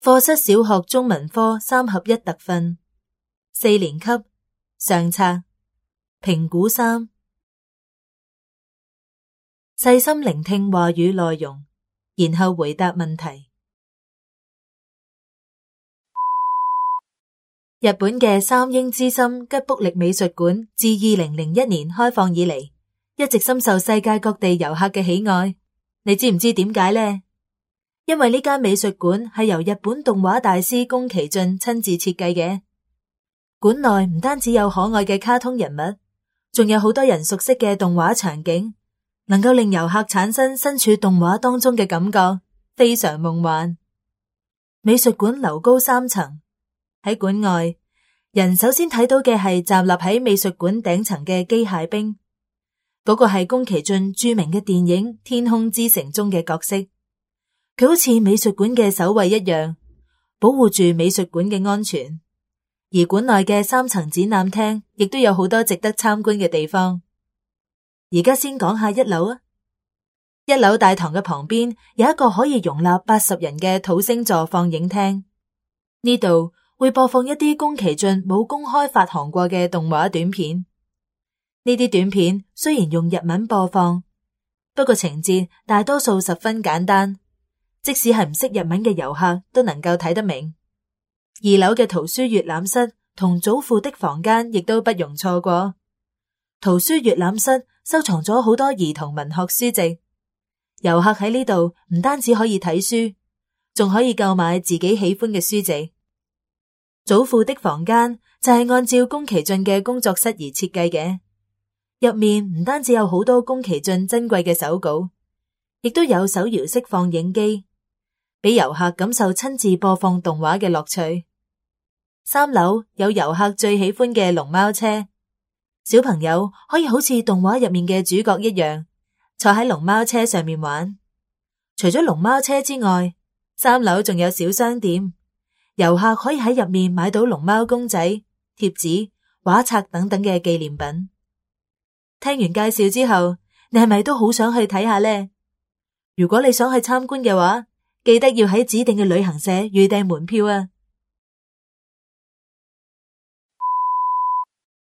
課室小學中文科3合1特訓，4年級上冊評估3，細心聆聽話語內容，然後回答問題。日本嘅三鷹之森吉卜力美術館自2001年開放以嚟，一直深受世界各地遊客嘅喜愛。你知唔知點解呢？因為呢間美術館係由日本動畫大師宮崎駿親自設計嘅。館內唔單止有可愛嘅卡通人物，仲有好多人熟悉嘅動畫場景，能夠令遊客產生身處動畫當中嘅感覺，非常夢幻。美術館樓高3層，喺館外，人首先睇到嘅係站立喺美術館頂層嘅機械兵，嗰個係宮崎駿著名嘅電影《天空之城》中嘅角色。佢好似美術館嘅守衛一樣，保護住美術館嘅安全。而館內嘅3層展覽廳亦都有好多值得參觀嘅地方。而家先講下1樓啊。1樓大堂嘅旁邊有一個可以容納80人嘅土星座放映廳，呢度會播放一啲宮崎駿冇公開發行過嘅動畫短片。呢啲短片雖然用日文播放，不過情節大多數十分簡單，即使係唔識日文嘅遊客都能夠睇得明。2樓嘅圖書閱覽室同祖父的房間亦都不容錯過。圖書閱覽室收藏咗好多兒童文學書籍，遊客喺呢度唔單止可以睇書，仲可以購買自己喜歡嘅書籍。祖父的房間就係按照宮崎駿嘅工作室而設計嘅，入面唔單止有好多宮崎駿珍貴嘅手稿，亦都有手搖式放映機，俾遊客感受親自播放動畫嘅樂趣。3樓有遊客最喜歡嘅龍貓車，小朋友可以好似動畫入面嘅主角一樣，坐喺龍貓車上面玩。除咗龍貓車之外，3樓仲有小商店，遊客可以喺入面買到龍貓公仔、貼紙、畫冊等等嘅紀念品。聽完介紹之後，你係咪都好想去睇下呢？如果你想去參觀嘅話，記得要喺指定嘅旅行社預訂門票啊！